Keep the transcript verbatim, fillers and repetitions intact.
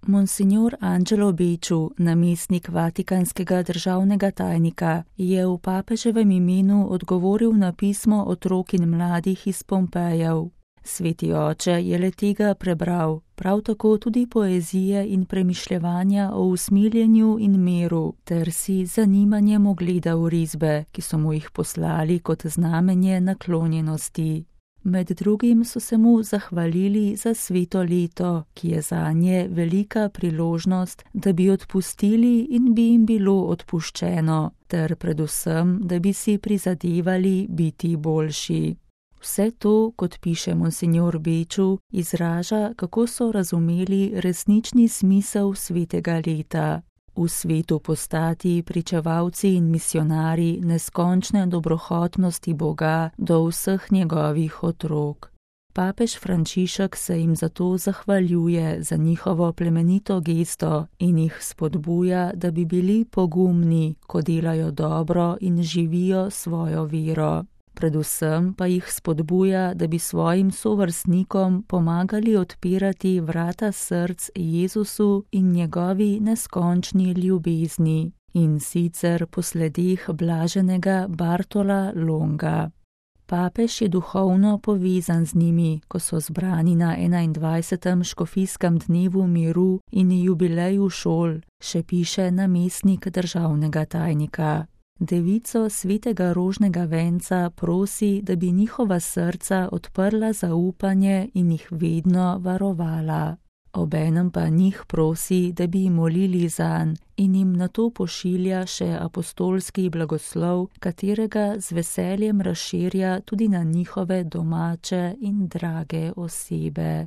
Monsignor Angelo Becciu, namestnik vatikanskega državnega tajnika, je v papeževem imenu odgovoril na pismo otrok in mladih iz Pompejev. Sveti oče je le tega prebral, prav tako tudi poezije in premišljevanja o usmiljenju in miru, ter si zanimanjem ogledal risbe, ki so mu jih poslali kot znamenje naklonjenosti. Med drugim so se mu zahvalili za sveto leto, ki je zanje velika priložnost, da bi odpustili in bi jim bilo odpuščeno, ter predvsem, da bi si prizadevali biti boljši. Vse to, kot piše monsignor Becciu, izraža, kako so razumeli resnični smisel svetega leta. V svetu postati pričevalci in misionarji neskončne dobrohotnosti Boga do vseh njegovih otrok. Papež Frančišek se jim zato zahvaljuje za njihovo plemenito gesto in jih spodbuja, da bi bili pogumni, ko delajo dobro in živijo svojo vero. Predvsem pa jih spodbuja, da bi svojim sovrstnikom pomagali odpirati vrata src Jezusu in njegovi neskončni ljubezni, in sicer po sledeh blaženega Bartola Longa. Papež je duhovno povezan z njimi, ko so zbrani na enaindvajsetem škofijskem dnevu miru in jubileju šol, še piše namestnik državnega tajnika. Devico svetega rožnega venca prosi, da bi njihova srca odprla za upanje in jih vedno varovala. Obenem pa njih prosi, da bi molili zanj, in jim nato pošilja še apostolski blagoslov, katerega z veseljem razširja tudi na njihove domače in drage osebe.